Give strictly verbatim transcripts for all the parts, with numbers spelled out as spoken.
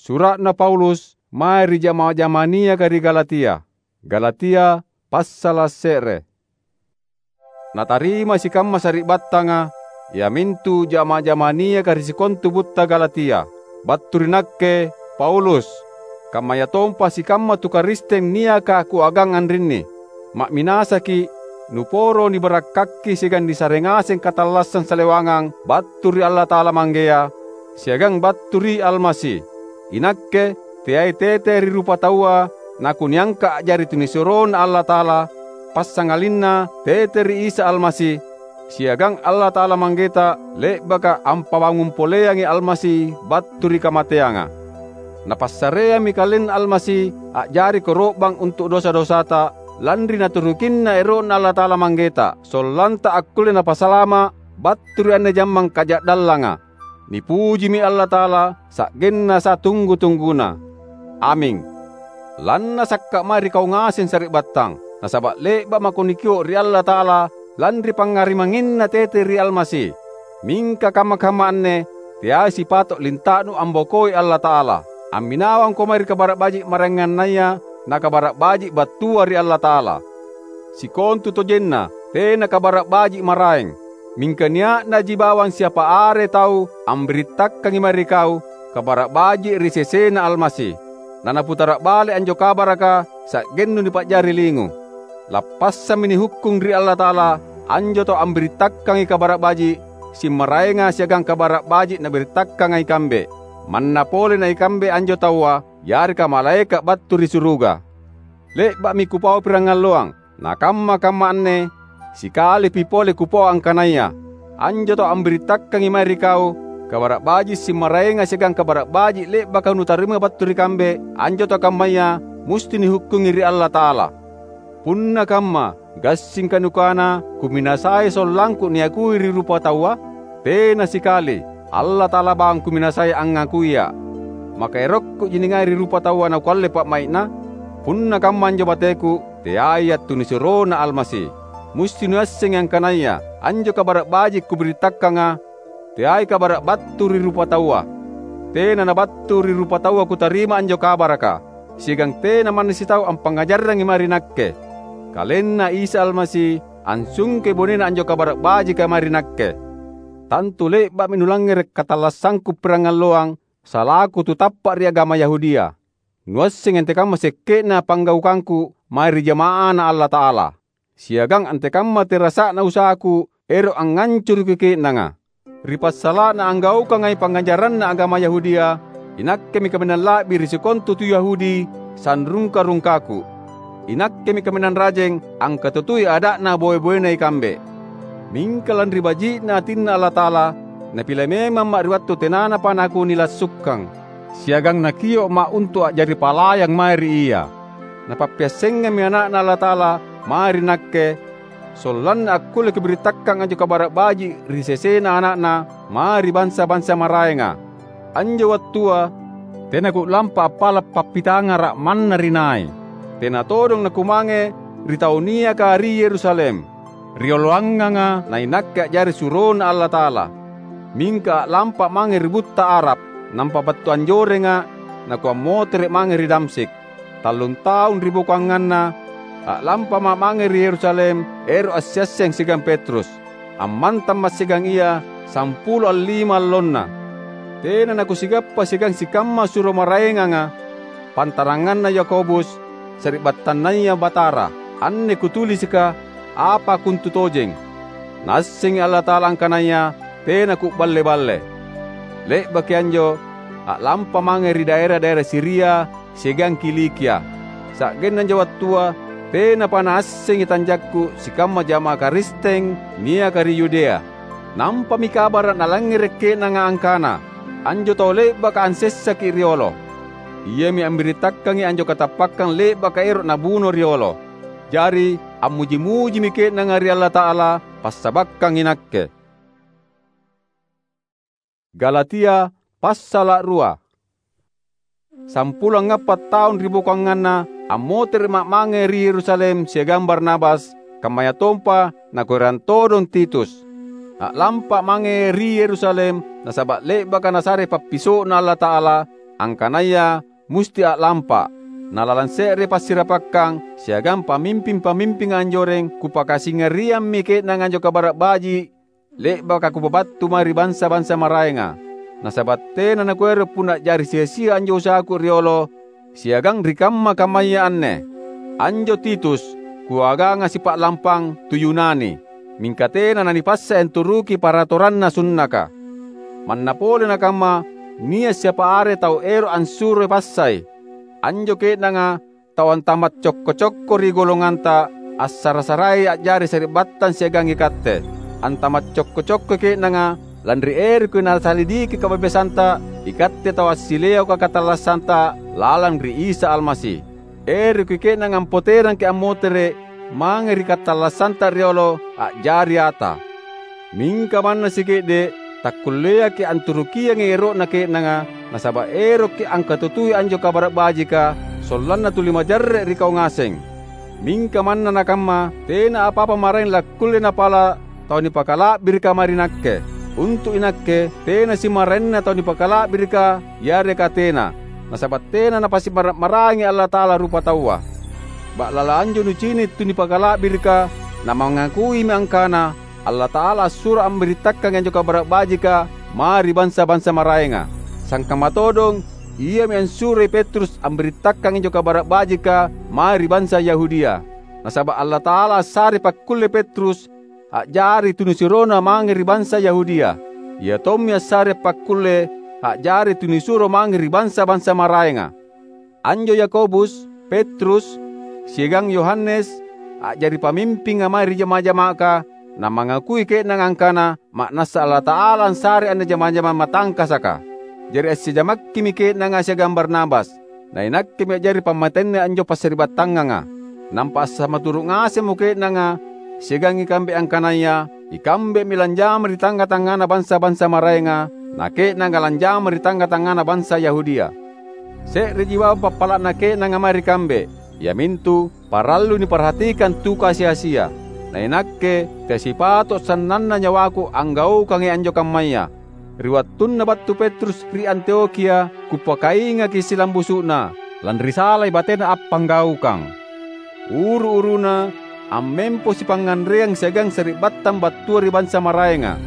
Sura'na Paulus mae ri jama-jama niaka ri Galatia. Galatia, passala’ se're. Natarima sikamma sari'battanga, iamintu jama-jama niaka ri sikontu butta Galatia, battu ri nakke, Paulus, kammayatompa sikamma tu Karisteng niaka kuagang anrinni. Ma'minasaki’, nuporo nibarakkakki siagang nisare ngaseng katallassang salewangang battu ri Allata'ala Manggea, siagang battu ri Almasi. Inakke teai tete ri rupataua nakuniangka a'jari tunisuroNa Allata'ala, passangalinna tete ri Isa Almasi, siagang Allata'ala Manggeta le'baka ampabangung poleangi Almasi battu ri kamateanga. Napassareammi KalenNa Almasi a'jari koro'bang untu’ dosa-dosata, lanri naturukinna ero'Na Allata'ala Manggeta, sollanta akkulle Napasalama’ battu ri anne jammang kaja'dallanga. Nipujimi Allata'ala, sa'genna satunggu-tungguna. Aming. Lannasakka’ mae ri kau ngaseng sari'battang, nasaba’ le'ba’ mako nikio’ ri Allata'ala lanri pangngarimanginNa tete ri Almasi. Mingka kamma-kamma anne teai sipato’ linta'nu ambokoi Allata'ala. Amminawangko mae ri Kabara’ Baji’ maraengannaya na Kabara’ Baji’ battua ri Allata'ala. Sikontutojenna tena Kabara’ Baji’ maraeng, mingka nia'naji bawang siapa are tau ambirittakangi mae ri kau Kabara’ Baji’ ri sesena Almasi. Nanaputara’ bale anjo kabaraka sa'gennu nipa'jari lingu. Lappassammi nihukkung ri Allata'ala anjo tau ambirittakangi Kabara’ Baji’ simmaraenga siagang Kabara’ Baji’ nabirittakanga ikambe. Manna pole na ikambe anjo taua, yareka malaeka’ battu ri suruga. Le'ba'mi kupau pirangalloang, nakamma-kamma anne, sikalipi pole kupau angkanaya anjo tau ambirittakangi mae ri kau Kabara’ Baji’ simmaraenga siagang Kabara’ Baji’ le'baka nutarimai battu ri kambe, anjo tau kammaya musti nihukkungi ri Allata'ala. Punna kamma, gassingka nukana kuminasai sollangku niakui ri rupataua? Tena sikali! Allata'ala bawang kuminasai angngakuiA’. Maka erokkuji ningai ri rupataua nakualle pa'mai'na? Punna kamma anjo bateku, teaiA’ tunisuroNa Almasi. Musti nuassengi angkanaya anjo Kabara’ Baji’ kubirittakanga teai kabara’ battu ri rupataua. Tena nabattu ri rupataua kutarima anjo kabaraka, siagang tena manna sitau ampangngajarrangi mae ri nakke. KalenNa Isa Almasi ansungkei bonena anjo Kabara’ Bajika mae ri nakke. Tantu le'ba'mi nulangngere’ katallassangku pirangalloang salaku tu tappa’ ri agama Yahudia. Nuassengi antekamma sekke'na panggaukangku mae ri jama'aNa Allata'ala, siagang antekamma terasa'na usahaku ero’ angngancuruki ke'nanga. Ri passala'na anggaukangai pangngajaranna agama Yahudia, inakkemi kaminang la'bi ri sikontu tu Yahudi sanrungka-rungkaku. Inakkemi kaminang rajeng angkatutui ada'na boe-boena ikambe. Mingka lanri baji'na atinNa Allata'ala, Napile memamma’ ri wattu tenanapa nakunilassukkang, siagang Nakio'ma’ untu’ a'jari palayang mae ri Ia. Napappiassengammi Ana'Na Allata'ala mae ri nakke, sollanna akkulle kubirittakkang anjo Kabara’ Baji’ ri sesena Ana'Na mae ri bansa-bansa maraenga. Anjo wattua tena ku'lampa appala’ pappitangara’ manna ri nai. Tena todong nakumange ri tau niaka ri Yerusalem, rioloanganga nainakke a'jari suroNa Allata'ala. Mingka a'lampa mange ri butta Arab, nampa battu anjorenga’ nakuammotere’ mange ri Damsyik. Tallung taung ribokoanganna, a'lampama’ mange ri Yerusalem ero’ assiasseng siagang Petrus. Ammantamma’ siagang ia sampulo allima allonna. Tena nakusigappa siagang sikamma suro maraenganga, pantaranganna Yakobus, sari'battannaya Batara. Anne kutulisika apa kuntutojeng. Naassengi Allata'ala angkanaya tena ku'balle-balle. Le'baki anjo, a'lampa mange ri daera-daera Siria siagang Kilikia. Sa'genna anjo wattua, tenapa naassengi tanjakku sikamma jama'ah Karisteng niaka ri Yudea. Nampami kabara’ nalangngere’ ke'nanga angkana anjo tau le'baka ansessaki’ riolo. Iami ambirittakangi anjo katappakkang le'baka ero’ nabuno riolo. Jari, ammuji-mujimi ke'nanga ri Allata'ala passabakkang inakke. Galatia, passala’ rua. Sampulo angngappa’ taung ribokoanganna, ammotere'ma’ mange ri Yerusalem siagang Barnabas, kammayatompa nakuerangi todong Titus. A'lampa’ mange ri Yerusalem nasaba’ le'baka Nasare pappiso'Na Allata'ala, angkanaya musti a'lampa. Na lalang se're passirapakkang siagang pamimping-pamimpinga anjoreng kupakasingariammi ke'nanga anjo Kabara’ Baji’ le'baka kupabattu mae ri bansa-bansa maraenga. Nasaba’ tena nakuero’ punna a'jari sia-sia anjo usahaku riolo siagang ri kamma-kammaya anne. Anjo Titus, kuaganga sipa'lampang tu Yunani, mingka tena nanipassae anturuki paratoranna sunnaka. Manna pole nakamma, nia’ siapa are tau ero’ ansuroi passai. Anjo ke'nanga tau antama’ cokko-cokko ri golonganta, assara-sarai a'jari sari'battang siagang ikatte. Antama’ cokko-cokkoi ke'nanga, lanri eroki nasalidiki kabebasanta ikatte tau assileoka katallassanta lalang ri Isa Almasi. Eroki ke'nanga ampoterangki’ ammotere’ mange ri katallassanta riolo a'jari ata. Mingka manna sike'de’ takkulleaki’ anturukiangi ero'na ke'nanga, nasaba’ erokki’ angkatutui anjo Kabara’ Bajika sollanna tuli majarre’ ri kau ngaseng. Mingka manna nakamma, tena apa-apa maraeng lakkulle napala’ tau nipakala'birika mae ri nakke. Untu’ inakke, tena simaraenna tau nipakala'birika yareka tena, nasaba’ tena napasi'mara’-marangi Allata'ala rupataua. Ba'lala anjo nucini’ tu nipakala'birika, namangakuimi angkana Allata'ala assuro ambirittakkangi anjo Kabara’ Bajika mae ri bansa-bansa maraenga. Sangkamma todong, iami ansuroi Petrus ambirittakkang anjo Kabara’ Bajika mae ri bansa Yahudia. Nasaba’ Allata'ala assarei pakkulle Petrus a'jari tunisuroNa mange ri bansa Yahudia. Ia tommi assarei pakkulle a'jari tunisuro mange ri bansa-bansa maraenga. Anjo Yakobus, Petrus, siagang Yohanes, a'jari pamimpinga mae ri jama-jamaka, namangakui ke'nanga angkana ma'nassa Allata'ala ansarei anne jama-jamang matangkasaka. Jari assijamakkimi ke'nanga siagang Barnabas. Na inakkemi a'jari pammatenna anjo passari'battanganga. Nampa assamaturu’ ngasemmo ke'nanga siagang ikambe angkanaya ikambemi lanjama ri tangnga-tangngana bansa-bansa maraenga, na ke'nanga lanjama ri tangnga-tangngana bansa Yahudia. Se'reji bawang pappala'na ke'nanga mae ri kambe, iamintu parallu niparhatikang tu kasi-asia. Na inakke, tesipato’ sannanna nyawaku anggaukangi anjo kammaya. Ri wattunna battu Petrus ri Antiokhia, kupakaingaki silambusu'na, lanri salai batena appanggaukang. Uru-uruna, ammempo sipangnganreang siagang sari'battang battua ri bansa maraenga.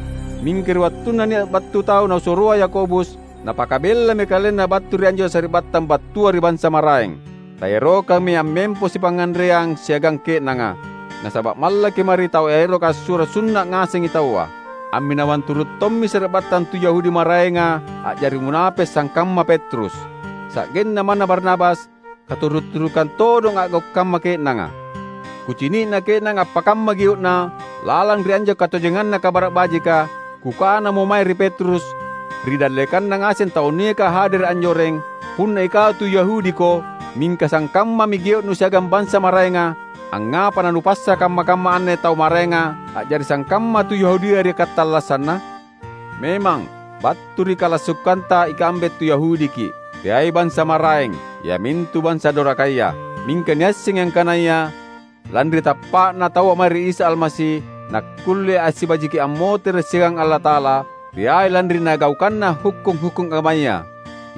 Mingka ri wattunna nia’ battu tau nausuroa Yakobus, napakabellami kalenna battu ri anjo sari'battang battua ri bansa maraeng. Taerokammi ammempo sipangnganreang siagang ke'nanga, nasaba’ mallaki mae ri tau eroka assuro sunna’ ngasengi taua. Amminawang turu’ tommi sari'battang tu Yahudi maraenga a'jari munape’ sangkamma Petrus. Sa'genna manna Barnabas, katuru’-turukang todong a'gau’ kamma ke'nanga. Kucini'na ke'nanga appakamma gio'na lalang ri anjo katojenganna Kabara’ Bajika, kukanamo mae ri Petrus, ri dallekanna ngaseng tau niaka hadere’ anjoreng, "Punna ikau tu Yahudiko, mingka sangkammami gio'nu siagang bansa maraenga, angngapa nanupassa kamma-kamma anne tau maraenga a'jari sangkamma tu Yahudia ri katallassanna? Memang, battu ri kalassukanta ikambe tu Yahudiki’, teai bansa maraeng, iamintu bansa dorakaya. Mingka niassengi angkanaya, lanri tappa'na taua mae ri Isa Almasi, nakkulle assibajiki ammotere’ siagang Allata'ala, teai lanri nagaukanna hukkung-hukkung agamaya.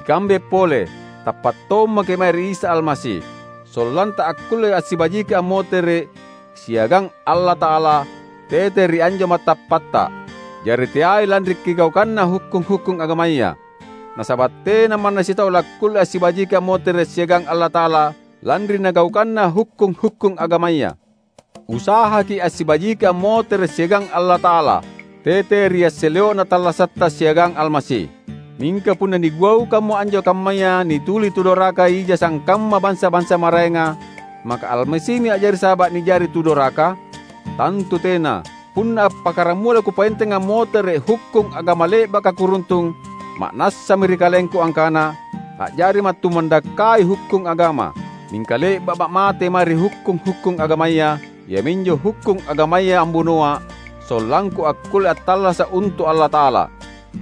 Ikambe pole, tappa’ tommaki’ mae ri Isa Almasi, sollanta akkulle assibajiki ammotere’ siagang Allata'ala tete ri anjo mattappatta, jari teai lanri kigaukanna hukkung-hukkung agamaya. Nasaba’ tena manna sitau lakkulle assibajiki ammotere’ siagang Allata'ala lanri nagaukanna hukkung-hukkung agamaya. Usahaki’ assibajiki ammotere’ siagang Allata'ala, tete ri asseleo'na tallasatta siagang Almasi. Mingka punna nigaukammo anjo kammaya nituli tu doraka ija sangkamma bansa-bansa maraenga, maka Almasimi a'jari saba’ nijari tu doraka? Tantu tena! Punna appakkaramula kupaenteng ammotere’ hukkung agama le'baka kuruntung, ma'nassami ri kalengku angkana, a'jari mattumandakkai hukkung agama. Mingka le'ba'ma’ mate mae ri hukkung-hukkung agamaya, iaminjo hukkung agamaya ambunoa’, sollangku akkulle attallasa’ untu’ Allata'ala.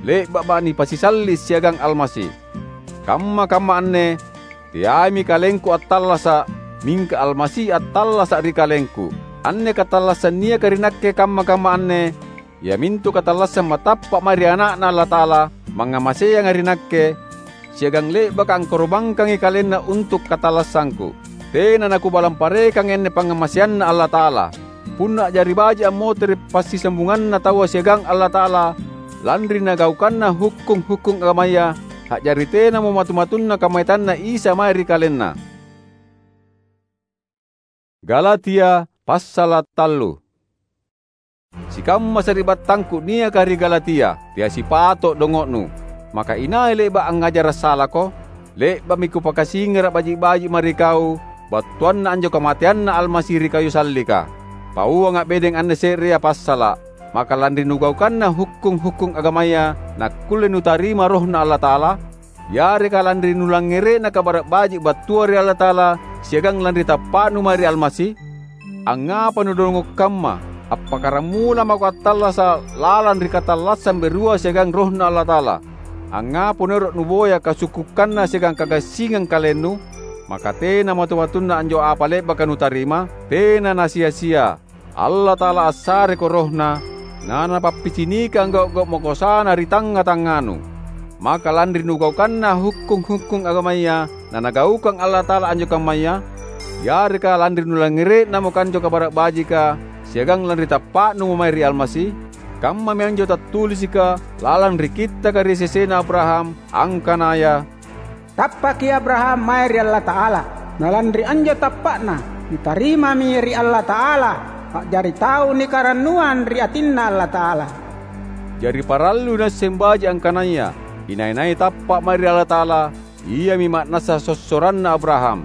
Le'ba'ma’ nipasisalli’ siagang Almasi. Kamma-kamma anne, teaimi kalengku attallasa’, mingka Almasi attallasa’ ri kalengku. Anne katallassang niaka ri nakke kamma-kamma anne, iamintu katallassang matappa’ mae ri Ana'Na Allata'ala, mangngamaseanga ri nakke, siagang le'baka angkoro'bangkangi kalenna untu' katallassangku. Tena nakubalang parekangi anne pangngamaseanNa Allata'ala. Punna a'jari baji' ammotere' passisambunganna taua siagang Allata'ala lanri nagaukanna hukkung-hukkung agamaya, a'jari tenamo matu-matunna kammayatanNa Isa mae ri kalenna. Galatia passala' tallu. Sikamma sari'battangku niaka ri Galatia, teai sipato' dongo'nu. Maka inai le'ba' angngajara' salako? Le'ba'mi kupakasingara' baji'-baji' mae ri kau battuanna anjo kamateanNa Almasi ri kayu sallika. Pauanga' bedeng anne se'rea passala', maka lanri nugaukanna hukkung-hukkung agamaya nakkulle nutarima RohNa Allata'ala? Yareka lanri nulangngere'na Kabara' Baji' battua ri Allata'ala siagang lanri tappa'nu mae ri Almasi? Angngapa nudongo' kamma? Appakkaramula mako attallasa' lalang ri katallassang berua siagang RohNa Allata'ala? Angngapa nuero' nuboya kasukkukkanna siagang kagassingang kalennu? Maka tena matu-matunna anjo apa le'baka nutarima? Tena nasia-sia! Allata'ala assareko RohNa, na Napappicinikang gau'-gau' makosana ri tangnga-tangnganu. Maka lanri nugaukanna hukkung-hukkung agamaya nanagaukang Allata'ala anjo kammaya? Yareka lanri nulangngere'namo anjo Kabara' Bajika siagang lanri tappa'numo mae ri Almasi? Kammami anjo tattulisika lalang ri Kittaka ri sesena Abraham, angkanaya, "Tappaki Abraham mae ri Allata'ala, na lanri anjo tappa'na, nitarimami ri Allata'ala a'jari tau nikarannuang ri atinNa Allata'ala." Jari parallui nuasseng baji' angkanaya inai-nai tappa' mae ri Allata'ala, iami ma'nassa sossoranna Abraham.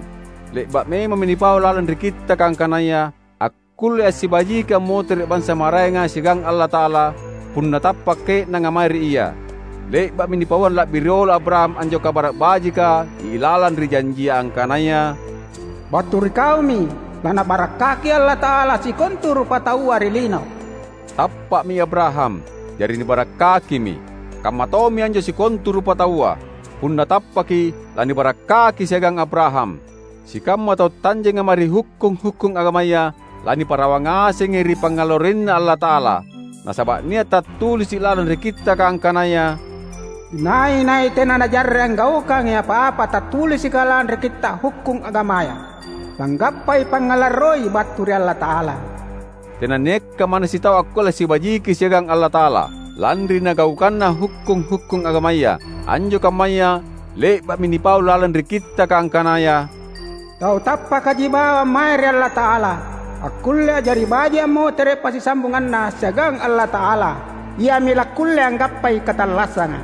Le'ba' memammi nipau lalang ri Kittaka angkanaya, akkulle assibajiki ammotere' bansa maraenga siagang Allata'ala, punna tappa' ke'nanga mae ri Ia. Le'ba'mi nipauang la'bi riolo Abraham anjo Kabara' Bajika ilalang ri janjia angkanaya, "Battu ri kaumi laNabarakkaki Allata'ala sikontu rupataua ri lino." Tappa'mi Abraham, jari nibarakkakimi. Kamma tommi anjo sikontu rupataua. Punna tappaki, lanibarakkaki siagang Abraham. Sikamma tau tanjenga mae ri hukkung-hukkung agamaya, laniparawang ngasengi ri pangngalarroinNa Allata'ala. Nasaba' nia' tattulisi' lalang ri Kittaka angkanaya, "Inai-nai tena najarre' anggaukangi apa-apa tattulisika lalang ri Kitta' Hukkung Agamaya, langgappai pangngalarroi battu ri Allata'ala." Tenanniakka manna sitau akkulle assibajiki siagang Allata'ala, lanri nagaukanna hukkung-hukkung agamaya. Anjo kammaya le'ba'mi nipau lalang ri Kittaka angkanaya, "Tau tappakaji bawang mae ri Allata'ala, akkulle a'jari baji' ammotere' passisambunganna siagang Allata'ala, iami lakkulle anggappai katallassanga."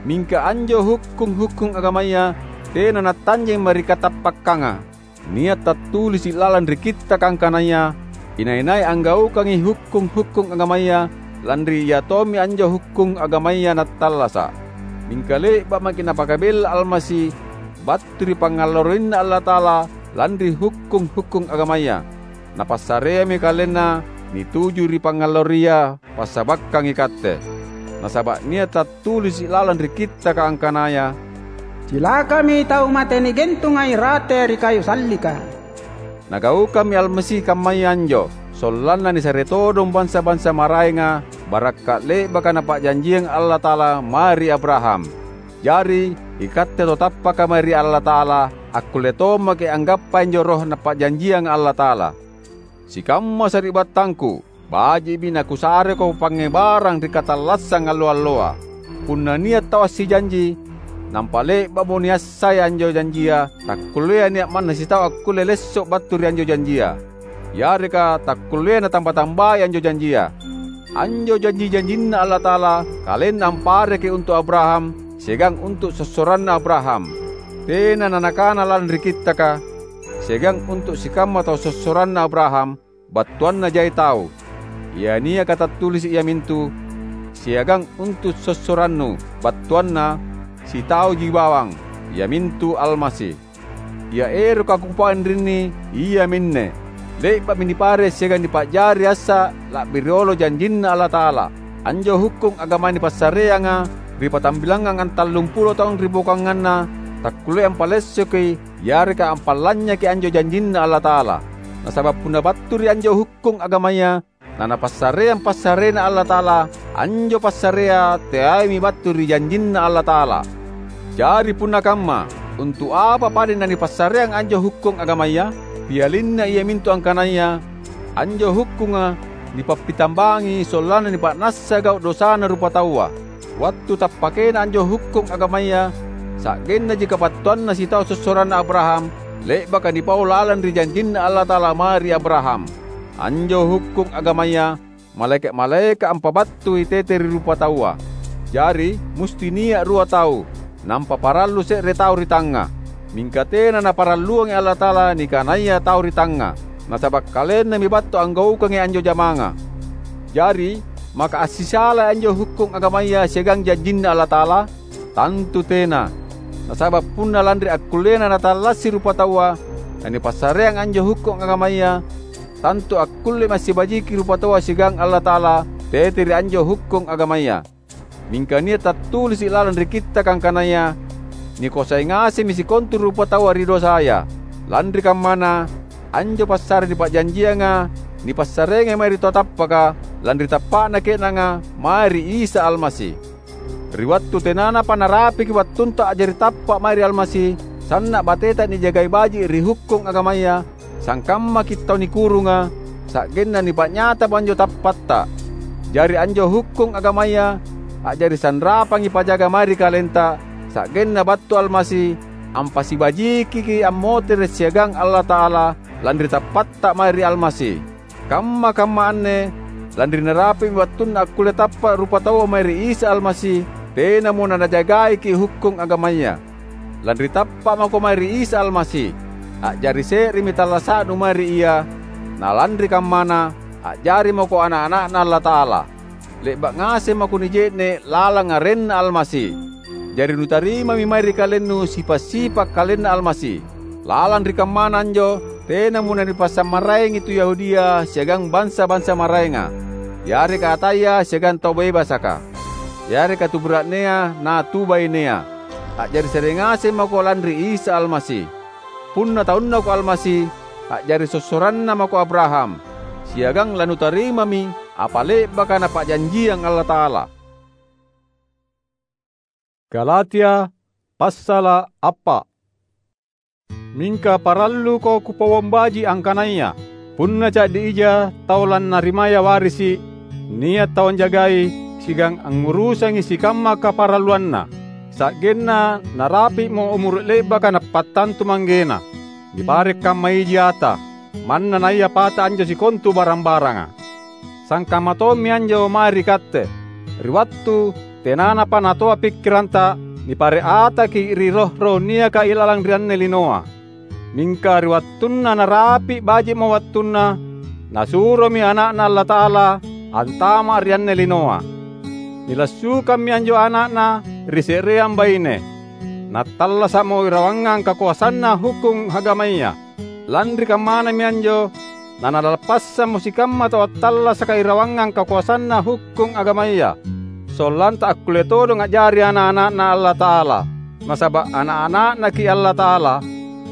Mingka anjo hukkung-hukkung agamaya tena nattanjeng mae ri katappakkanga. Nia' tattulisi' lalang ri Kittaka angkanaya, "Inai-nai anggaukangi hukkung-hukkung agamaya, lanri ia tommi anjo hukkung agamaya nattallasa'." Mingka le'ba' maki' Napakabella Almasi battu ri pangngalarroinNa Allata'ala lanri hukkung-hukkung agamaya. Napassareammi KalenNa nituju ri pangngalarroia passabakkang ikatte. Nasaba' nia' tattulisi' lalang ri Kittaka angkanaya, "Cilakami tau mate nigentunga irate ri kayu sallika." Nagaukammi Almasi kammaya anjo, sollanna nisare todong bansa-bansa maraenga barakka' le'baka Napa'janjiang Allata'ala mae ri Abraham. Jari, ikatte tau tappaka mae ri Allata'ala, akkulle tommaki' anggappai anjo Roh Napa'janjianga Allata'ala. Sikamma sari'battangku, baji'mi nakusareko pangngebarang ri katallassang allo-alloa. Punna nia' tau assijanji, nampa le'ba'mo niassai anjo janjia, takkulleai nia' manna sitau akkulle lesso' battu ri anjo janjia, yareka takkulleai natamba-tambai anjo janjia. Anjo janji-janjinNa Allata'ala, KalenNa ampareki untu' Abraham siagang untu' sossoranna Abraham. Tena nanakana lalang ri Kittaka, "Siagang untu' sikamma tau sossoranna Abraham," battuanna jai tau. Ia niaka tattulisi' iamintu, "Siagang untu' sossorannu," battuanna, "Sitauji bawang," iamintu Almasi. Ia eroka kupau anrinni iaminne: le'ba'mi nipare' siagang nipa'jari assa' la'bi riolo janjinNa Allata'ala. Anjo hukkung agamaya nipassareanga ri patambilangngang antallumpulo taung ribokoanganna, takkulleai ampalessoki yareka ampalanynyaki anjo janjinNa Allata'ala. Nasaba' punna battu ri anjo hukkung agamaya, nanapassareang passarena Allata'ala, anjo passarea teaimi battu ri janjinNa Allata'ala. Jari punna kamma, untu’ apa padeng nanipassareang anjo hukkung agamaya? Pialinna iamintu angkanaya anjo hukkunga nipappitambangi sollanna nipa'nassa gau’ dosana rupataua. Wattu tappakena anjo hukkung agamaya, sa'gennaji kabattuanna sitau sossoranna Abraham, le'baka nipau lalang ri janjinNa Allata'ala mae ri Abraham. Anjo hukkung agamaya malaeka’-malaeka’ ampabattui tete ri rupataua. Jari, musti nia’ rua tau, nampa parallu se're tau ri tangnga. Mingka tena Naparalluangi Allata'ala nikanaya tau ri tangnga, nasaba’ KalenNami battu anggaukangi anjo jamanga. Jari, maka assisalai anjo hukkung agamaya siagang janjinNa Allata'ala? Tantu tena! Nasaba’ punna lanri akkullena natallassi rupataua, nanipassareang anjo hukkung agamaya, tantu akkullemi assibajiki rupataua siagang Allata'ala tete ri anjo hukkung agamaya. Mingka nia’ tattulisi’ lalang ri Kittaka angkanaya, "Nikoasai ngasemmi sikontu rupataua ri dosaya." Lanri kammana, anjo passare nipa'janjianga nipassareangi mae ri tau tappaka, lanri tappa'na ke'nanga mae ri Isa Almasi. Ri wattu tenanapa narapiki wattunta a'jari tappa’ mae ri Almasi, sanna’ bateta nijagai baji’ ri hukkung agamaya, sangkammaki’ tau nikurunga, sa'genna nipa'nyatamo anjo tappatta. Jari anjo hukkung agamaya a'jari sanrapangi pajaga mae ri kalenta, sa'genna battu Almasi ampasibajikiki’ ammotere’ siagang Allata'ala lanri tappatta mae ri Almasi. Kamma-kamma anne lanri narapi'mi wattunna akkulle tappa’ rupataua mae ri Isa Almasi, tenamo nanajagaiki’ hukkung agamaya. Lanri tappa’ mako mae ri Isa Almasi, a'jari se'remi tallasa'nu mae ri Ia, na lanri kammana, a'jari mako ana’-ana'Na Allata'ala. Le'ba’ ngaseng mako nije'ne’ lalang arenNa Almasi. Jari nutarimami mae ri kalennu sipa’-sipa’ KalenNa Almasi. Lalang ri kammana anjo, tenamo nanipassammaraengi tu Yahudia siagang bansa-bansa maraenga, yareka ataya siagang tau bebasaka, yareka tu bura'nea na tu bainea. A'jari se're ngaseng mako lanri Isa Almasi. Punna taunnako Almasi, a'jari sossoranna mako Abraham, siagang lanutarimami apa le'baka Napa'janjiang Allata'ala. Galatia passala’ appa’. Mingka paralluko kupauang baji’ angkanaya punna ca'di ija tau lannarimaya warisi’, nia’ tau anjagai siagang angngurusangi sikamma kaparalluanna, sa'genna narapi'mo umuru’ le'baka nappattantu manggena. Nipare’ kamma iji ata, manna naia pata anjo sikontu barang-baranga. Sangkamma tommi anjo mae ri katte. Ri wattu tenanapa natoa pikkiranta, nipare’ ataki’ ri roh-roh niaka ilalang ri anne linoa. Mingka ri wattunna narapi’ baji'mo wattunna, Nasuromi Ana'Na Allata'ala antama’ ri anne linoa. Nilassukammi anjo Ana'Na ri se'reang baine. Nattallasa'mo irawangang kakoasanna hukkung agamaya. Lanri kammanami anjo, nanalappassammo sikamma tau attallasaka irawangang kakoasanna hukkung agamaya, sollanta akkulle todong a'jari ana’-ana'Na Allata'ala. Nasaba’ ana’-ana'Naki’ Allata'ala,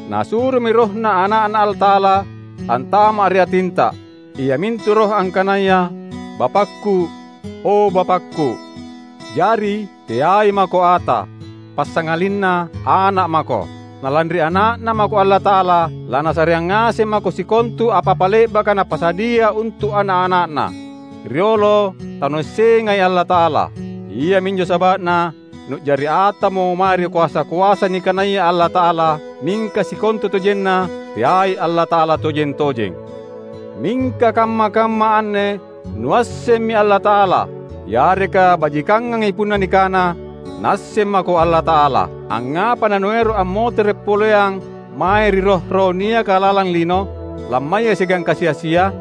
Nasuromi RohNa Ana'Na Allata'ala antama’ ri atinta, iamintu Roh angkanaya, "Bapakku, o Bapakku." Jari, teai mako ata, passangalinna ana’ mako. Na lanri Ana'Na mako Allata'ala, laNasareang ngaseng mako sikontu apa-apa le'baka Napasadia untu’ ana’-ana'Na. Riolo tanuassengai Allata'ala. Iaminjo saba'na nu'jari atamo mae ri koasa-koasa nikanaya Allata'ala, mingka sikontutojenna teai Allata'ala tojeng-tojeng. Mingka kamma-kamma anne nuassemmi Allata'ala, yareka bajikangangi punna nikana, "Naasseng mako Allata'ala." Angngapa nanuero’ ammotere’ poleang mae ri roh-roh niaka lalang lino, lammaya siagang kasi-asia?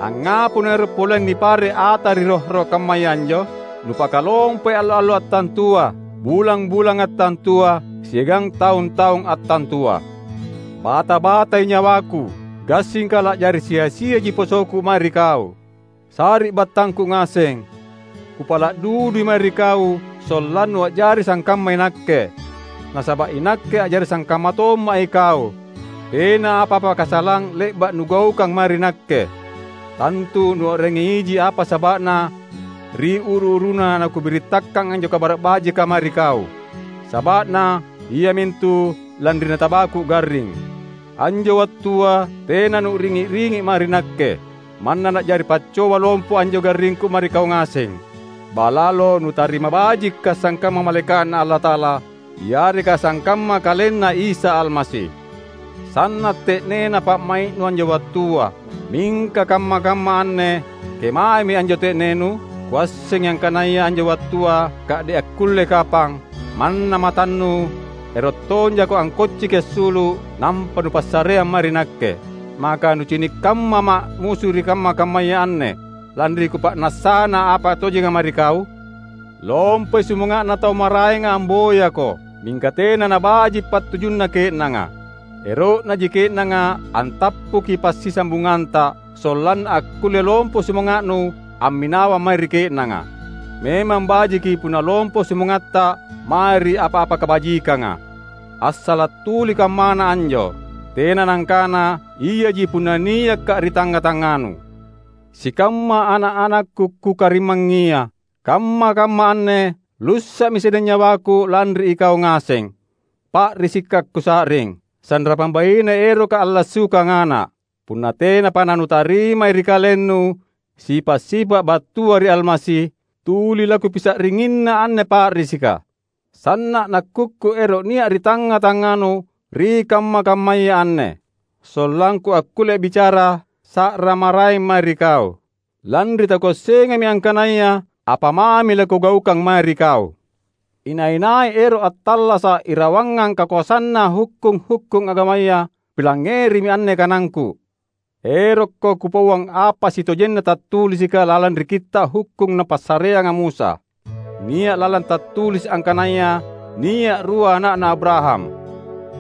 Angngapa nuero’ poleang nipare’ ata ri roh-roh kammaya anjo? Nupakalompai allo-allo attantua, bulang-bulang attantua, siagang taung-taung attantua. Bata-batai nyawaku, gassingka la'jari sia-siaji posoku mae ri kau. Sari'battangku ngaseng, kupala’ dudui mae ri kau sollannu a'jari sangkamma inakke. Nasaba’ inakke a'jari sangkamma tomma’ ikau. Tena apa-apa kasalang le'ba’ nugaukang mae ri nakke. Tantu nua'rangi iji apa saba'na ri uru-uruna nakubirittakkang anjo Kabara’ Bajika mae ri kau. Saba'na iamintu lanri natabaku garring. Anjo wattua tena nu'ringi-ringi mae ri nakke. Manna na'jari paccoba lompo anjo garringku mae ri kau ngaseng. Balalo nutarima bajikka sangkamma malaeka'Na Allata'ala, yareka sangkamma KalenNa Isa Almasi. Sanna’ te'nena pa'mai'nu anjo wattua. Mingka kamma-kamma anne, kemaemi anjo te'nenu? Kuassengi angkanaya anjo wattua ka'de’ akkulle kapang, manna matannu, ero’ tonjako angkocciki assulu’, nampa nupassareang mae ri nakke. Maka nucini’ kammama’ musu ri kamma-kammaya anne, lanri kupa'nassana apa tojenga mae ri kau? Lompoi sumanga'na tau maraenga amboyako, mingka tena nabaji’ pattujunna ke'nanga. Ero'naji ke'nanga antappuki passisambunganta, sollanna akkulle lompo sumanga'nu amminawang mae ri ke'nanga. Memang bajiki punna lompo sumangatta mae ri apa-apa kabajikanga. Assala’ tuli kammana anjo, tena nangkana iaji punna niakka’ ri tangnga-tangnganu. Sikamma ana’-anakku kukarimmangngia, kamma-kamma anne lussa'mi sedeng nyawaku lanri ikau ngaseng. Pa'risikka’ kusa'ring, sanrapang baine eroka allassukang ana’. Punna tenapa nanutarimai ri kalennu sipa’-sipa’ battua ri Almasi, tuli lakupisa'ringinna anne pa'risika. Sanna’ nakkukku ero’ nia’ ri tangnga-tangnganu ri kamma-kammaya anne, sollangku akkulle bicara sa'ra maraeng mae ri kau. Lanri takuassengami angkanaya apa mami lakugaukang mae ri kau. Inai-nai ero’ attallasa’ irawangang kakoasanna hukkung-hukkung agamaya, pilangngerimi anne kanangku. Erokko kupauang apa sitojenna tattulisika lalang ri kitta’ hukkung napassareanga Musa. Nia’ lalang tattulisi’ angkanaya nia’ rua ana'na Abraham.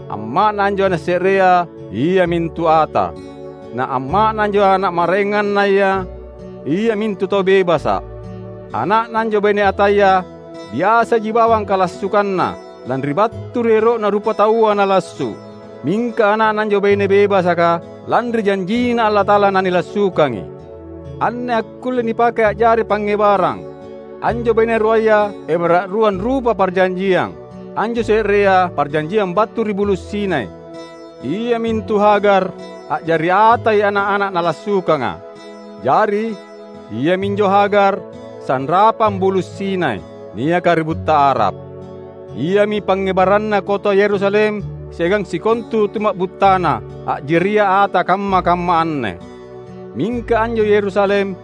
Amma'na anjo ana’ se'rea iamintu ata. Na amma'na anjo ana’ maraengannaya iamintu tau bebasa’. Ana'na anjo baine ataya biasaji bawang kalassukanna, lanri battu ri ero'na rupataua nalassu. Mingka ana'na anjo baine bebasaka, lanri janjina Allata'ala nanilassukangi. Anne akkulle nipake a'jari pangngebarang. Anjo baine ruaya ebara’ ruang rupa parjanjiang. Anjo se'rea parjanjiang battu ri Bulu’ Sinai. Iamintu Hagar a'jari atai ana’-ana’ nalassukanga. Jari, iaminjo Hagar, sanrapang Bulu’ Sinai, niaka ri butta Arab. Iami pangngebaranna kota Yerusalem siagang sikontu tuma'buttana, a'jaria ata kamma-kamma anne. Mingka anjo Yerusalem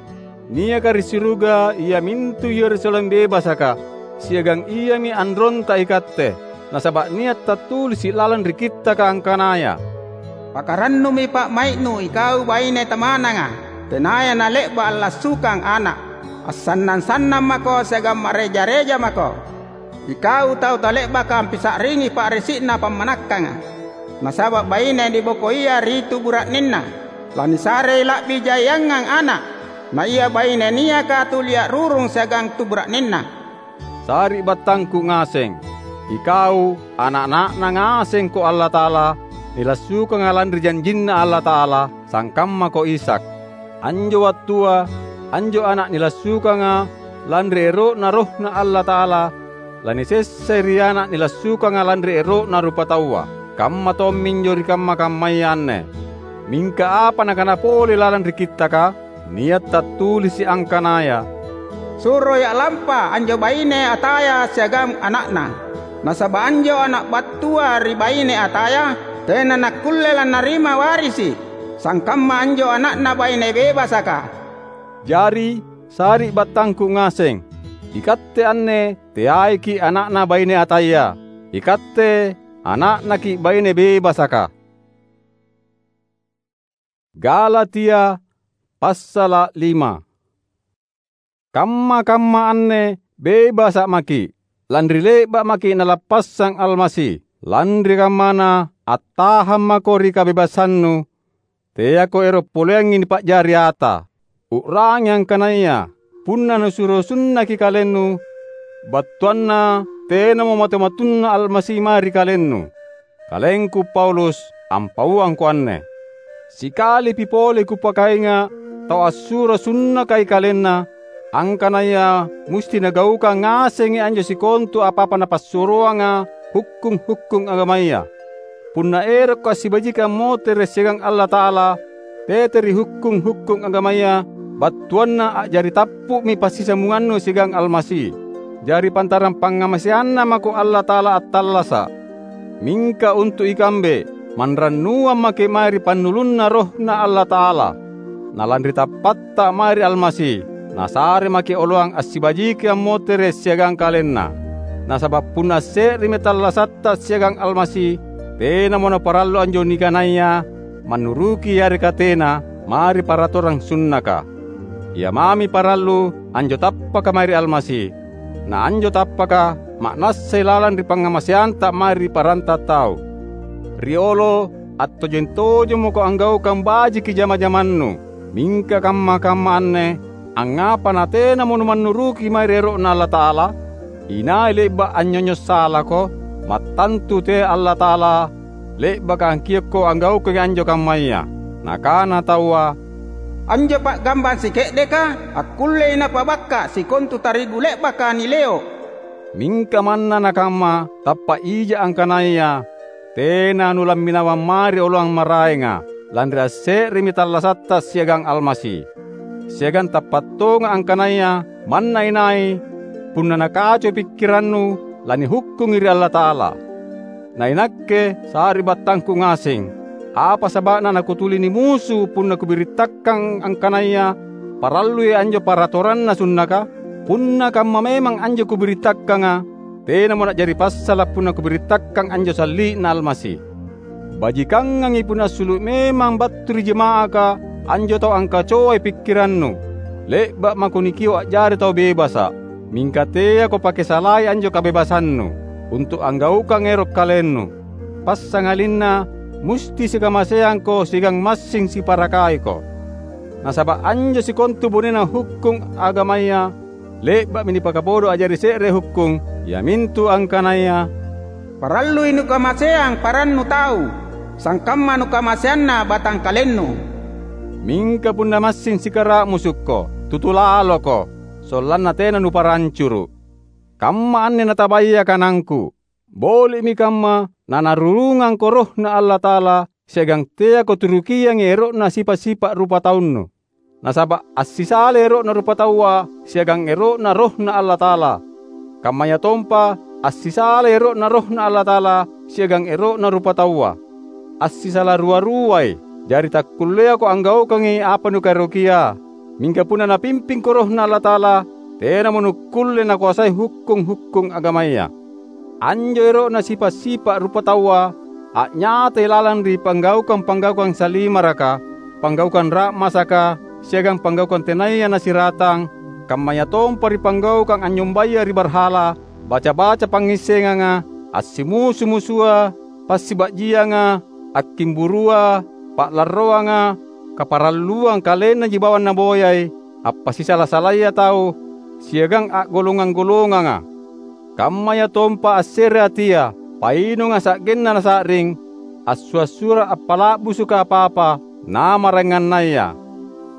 niaka ri suruga iamintu Yerusalem bebasaka, siagang iami anronta ikatte. Nasaba’ nia’ tattulisi’ lalang ri Kittaka angkanaya, "Pakarannumi pa'mai'nu ikau baine tamananga, tenaya nale'ba’ allassukang ana’. Assannang-sannang mako siagang ma'reja-reja mako, ikau tau tale'baka ampisa'ringi pa'risi'na pammanakkanga. Nasaba’ baine nibokoia ri tu bura'nenna, lanisarei la'bi jaiangang ana’, na ia baine niaka tuli a'rurung siagang tu bura'nenna." Sari'battangku ngaseng, ikau, ana’-ana'Na ngasengko Allata'ala, nilassukanga lanri janjinNa Allata'ala, sangkammako Ishak. Anjo wattua, anjo ana’ nilassukanga lanri ero'Na RohNa Allata'ala, lanisessai ri ana’ nilassukanga lanri ero'na rupataua. Kamma tomminjo ri kamma-kammaya anne. Mingka apa nakana pole lalang ri Kittaka? Nia’ tattulisi’ angkanaya, "Suroi a'lampa anjo baine ataya siagang ana'na. Nasaba’ anjo ana’ battua ri baine ataya tena nakkulle lannarima warisi’ sangkamma anjo ana'na baine bebasaka." Jari, sari'battangku ngaseng, ikatte anne teaiki’ ana'na baine ataya. Ikatte ana'naki’ baine bebasaka. Galatia, passala’ lima. Kamma-kamma anne bebasa’ maki’, lanri le'ba’ maki’ Nalappassang Almasi. Lanri kammana, attahang mako ri kabebasannu, teako ero’ poleangi nipa'jari ata. U'rangi angkanaya punna nusuro sunnaki kalennu, battuanna tenamo matu-matunna Almasi mae ri kalennu. Kalengku Paulus, ampauangko anne. Sikalipi pole kupakainga’ tau assuro sunnakai kalenna, angkanaya musti nagaukang ngasengi anjo sikontu apa-apa napassuroanga hukkung-hukkung agamaya. Punna erokko assibajiki ammotere’ siagang Allata'ala, tete ri hukkung-hukkung agamaya, battuanna a'jari tappu'mi passisambungannu siagang Almasi. Jari pantarang pangngamaseanNa mako Allata'ala attallasa’. Mingka untu’ ikambe, manrannuang maki’ mae ri pannulunNa RohNa Allata'ala. Na lanri tappatta mae ri Almasi, Nasare maki’ oloang assibajiki ammotere’ siagang KalenNa. Nasaba’ punna asse'remi tallasatta siagang Almasi, tenamo naparallu anjo nikanaya mannuruki yareka tena mae ri paratorang sunnaka. Ia mami parallu anjo tappaka mae ri Almasi. Na anjo tappaka ma'nassai lalang ri pangngamaseanta mae ri paranta tau. Riolo, attojeng-tojenmoko anggaukang bajiki jama-jamannu. Mingka kamma-kamma anne, angngapa natenamo numannuruki mae ri ero'Na Allata'ala? Inai le'ba’ anynyonyo’ salako? Mattantu tea Allata'ala le'baka angkiokko anggaukangi anjo kammaya. Nakana taua, "Anjo pa'gambang sike'deka akkullei napabakka’ sikontu tarigu le'baka nileo’." Mingka manna nakamma, tappa’ ija angkanaya tena nulamminawang mae ri oloang maraenga, lanri asse'remi tallasatta siagang Almasi. Siagang tappa’ tonga’ angkanaya manna inai, punna nakacoi pikkirannu, lanihukkungi ri Allata'ala. Na inakke, sari'battangku ngaseng, apa saba'na nakutuli nimusu punna kubirittakang angkanaya parallui anjo paratoranna sunnaka? Punna kamma memang anjo kubirittakkanga, tenamo na'jari passala’ punna kubirittakkang anjo salli'na Almasi. Bajikangangi punna assulu’ memang battu ri jama'aka anjo tau angkacoai pikkirannu. Le'ba’ mako nikio’ a'jari tau bebasa’, mingka teako pake salai anjo kabebasannu untu’ anggaukangi ero’ kalennu. Passangalinna musti sikamaseangko siagang massing siparakaiko. Nasaba’ anjo sikontu bonena hukkung agamaya le'ba'mi nipakapodo a'jari se're hukkung, iamintu angkanaya, "Parallui nukamaseang parannu tau, sangkamma nukamaseanna batangkalennu." Mingka punna massing sikara'musukko, tutu laloko, sollanna tena nuparancuru’. Kamma anne natabaya kanangku. Boli'mi kamma nanarurungangko RohNa Allata'ala siagang teako turukiangi ero'na sipa’-sipa’ rupataunnu. Nasaba’ assisalai ero'na rupataua siagang ero'na RohNa Allata'ala. Kammayatompa assisalai ero'na RohNa Allata'ala siagang ero'na rupataua. Assisala rua-ruai, jari takkulleako anggaukangi apa nukaerokia. Mingka punna Napimpingko RohNa Allata'ala, tenamo nukkulle nakoasai hukkung-hukkung agamaya. Anjo ero'na sipa’-sipa’ rupataua a'nyatai lalang ri panggaukang-panggaukang salimaraka, panggaukang ra'masaka, siagang panggaukang tenaya nasiratang, kammayatompa ri panggaukang anynyombaya ri barhala, baca-baca pangngissengang, assimusu-musua, passiba'jianga, akkimburua, pa'larroanga, kaparalluang kalennaji bawang naboyai, appasisala-salaya tau, siagang a'golongang-golonganga. Kammayatompa asse're atia, painunga sa'genna nasa'ring, assua’-sua’ appala'busuka apa-apa, na maraengannaya.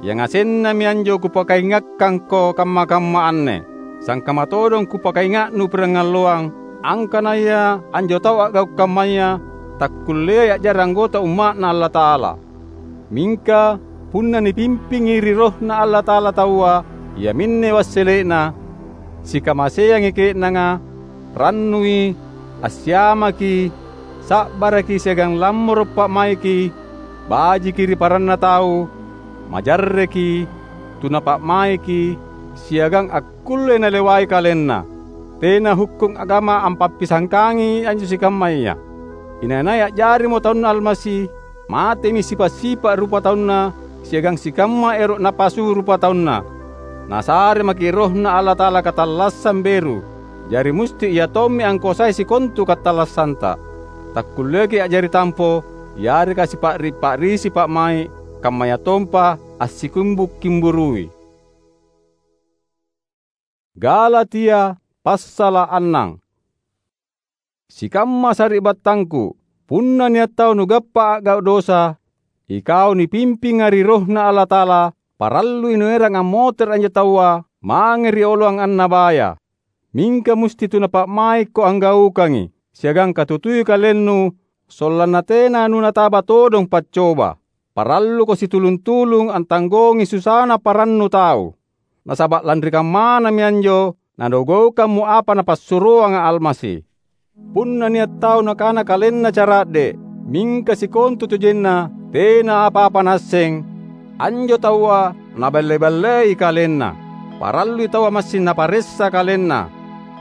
Yangasennami anjo kupakaingakkangko kamma-kamma anne, sangkamma todong kupakainga'nu pirangalloang, angkanaya anjo tau a'gau’ kammaya takkulleai a'jari anggota umma'Na Allata'ala. Mingka punna nipimpingi ri RohNa Allata'ala taua, iaminne wassele'na, sikamaseangi ke'nanga, rannui, assiamaki, sa'baraki siagang lammoro’ pa'maiki, bajiki ri paranna tau, majarreki, tuna pa'maiki, siagang akkulle nalewai kalenna. Tena hukkung agama ampappisangkangi anjo sikammaya. Inai-nai a'jarimo taunNa Almasi, matemi sipa’-sipa’ rupataunna siagang sikamma ero’ napasu rupataunna. Nasare maki’ RohNa Allata'ala katallassang beru, jari musti Ia tommi angkosai sikontu katallassanta. Takkulleaki a'jari tampo, yareka sipa'ri-pa'risi pa'mai’, kammayatompa assikumbu’-kimburui. Galatia passala’ annang. Sikamma sari'battangku, punna nia’ tau nugappa a'gau’ dosa, ikau nipimpinga ri RohNa Allata'ala, parallui nuerang ammotere’ anjo taua mange ri oloang annabaya. Mingka musti tuna pa'maikko anggaukangi. siagang katutui kalennu sollanna tena nunataba todong paccoba. Paralluko situlung-tulung antanggongi susana parannu tau. Nasaba' lanri kammanami anjo nanugaukammo apa Napassuroanga Almasi. Punna nia' tau nakana kalenna cara'de', mingka sikontutojenna tena apa-apa naasseng, anjo taua naballe-ballei kalenna. Parallui taua massing naparessa kalenna,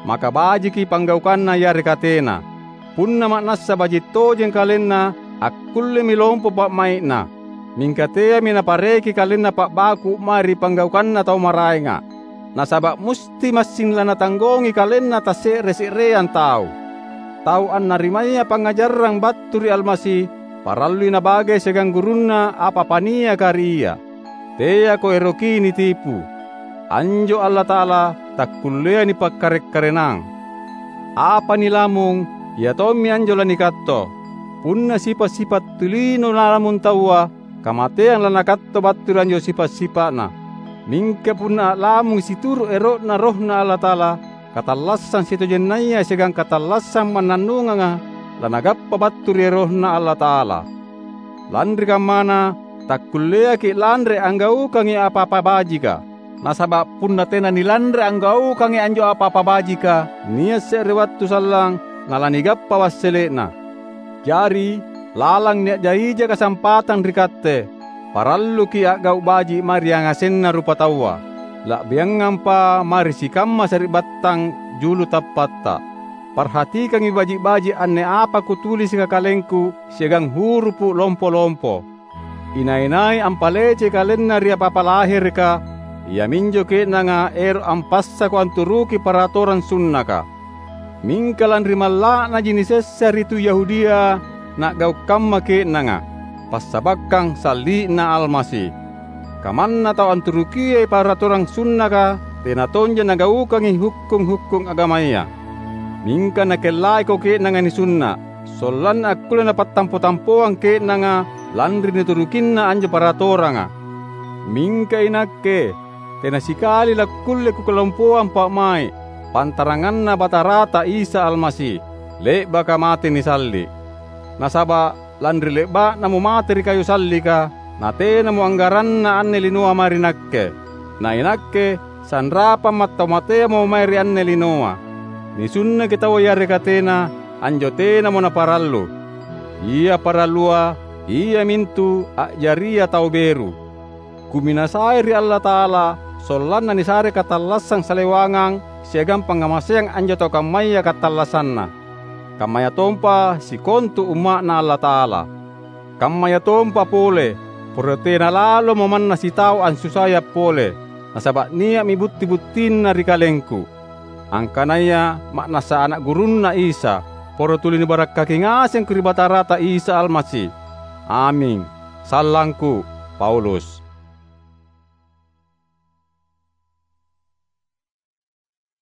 maka bajiki panggaukanna yareka tena. Punna ma'nassa baji' tojeng kalenna, akkullemi lompo pa'mai'na, mingka teami napareki kalenna pa'baku' mae ri panggaukanna tau maraenga. Nasaba' musti massing lanatanggongi kalenna tasse're-se'reang tau. Tau annarimaya pangngajarang battu ri Almasi, parallui nabagai siagang gurunna apa-apa niaka ri ia. Teako eroki nitipu. Anjo Allata'ala takkulleai nipakkare'-karenang. Apa nilamung, ia tommi anjo lanikatto. Punna sipa'-sipa' tulino nalamung taua, kamateang lanakatto battu ri anjo sipa'-sipa'na. Mingka punna a'lamung situru' ero'Na RohNa Allata'ala, katallassang sitojennaya siagang katallassang mannannunganga lanagappa battu ri RohNa Allata'ala. Lanri kammana, takkulleaki' lanre anggaukangi apa-apa bajika. Nasaba' punna tena nilanre anggaukangi anjo apa-apa bajika, nia' se're wattu sallang nalanigappa wassele'na. Jari, lalang nia' jaija kasampatang ri katte, paralluki' a'gau' baji' mae ri yangasenna rupataua, la'biangampa mae ri sikamma sari'battang julu tappatta. Parhatikangi baji'-baji' anne apa kutulisika kalengku siagang hurupu' lompo-lompo. Inai-nai ampalecei kalenna ri apa-apa lahereka, iaminjo ke'nanga ero' ampassako anturuki paratorang sunnaka. Mingka lanri malla'naji nisessa ri tu Yahudia na'gau' kamma ke'nanga, passabakkang salli'na Almasi. Kamanna tau anturukiai paratorang sunnaka tena tonja nagaukangi hukkung-hukkung agamaya. Mingka nakellaiko ke'nanga nisunna', sollanna akkulle napattampo-tampoang ke'nanga lanri niturukinna anjo paratoranga. Mingka inakke, tena sikali lakkulle kukalompoang pa'mai', pantaranganna Batarata Isa Almasi, le'baka mate nisalli'. Nasaba' lanri le'ba'namo mate ri kayu sallika, natenamo anggaranna anne linoa mae ri nakke. Na inakke, sanrapang mattau mateamo mae ri anne linoa. Nisunnaki taua yareka tena, anjo tenamo naparallu. Ia parallua, iamintu a'jaria tau beru. Kuminasai ri Allata'ala, sollanna nisare katallassang salewangang siagang pangngamaseang anjo tau kammaya katallassanna, kammayatompa sikontu umma'Na Allata'ala. Kammayatompa pole, poro tena lalomo manna sitau ansusayang pole, nasaba' nia'mi butti-buttinna ri kalengku, angkanaya ma'nassa ana' gurunNa Isa, poro tuli nibarakkaki ngasengko ri Batarata Isa Almasi. Aming. Sallangku, Paulus.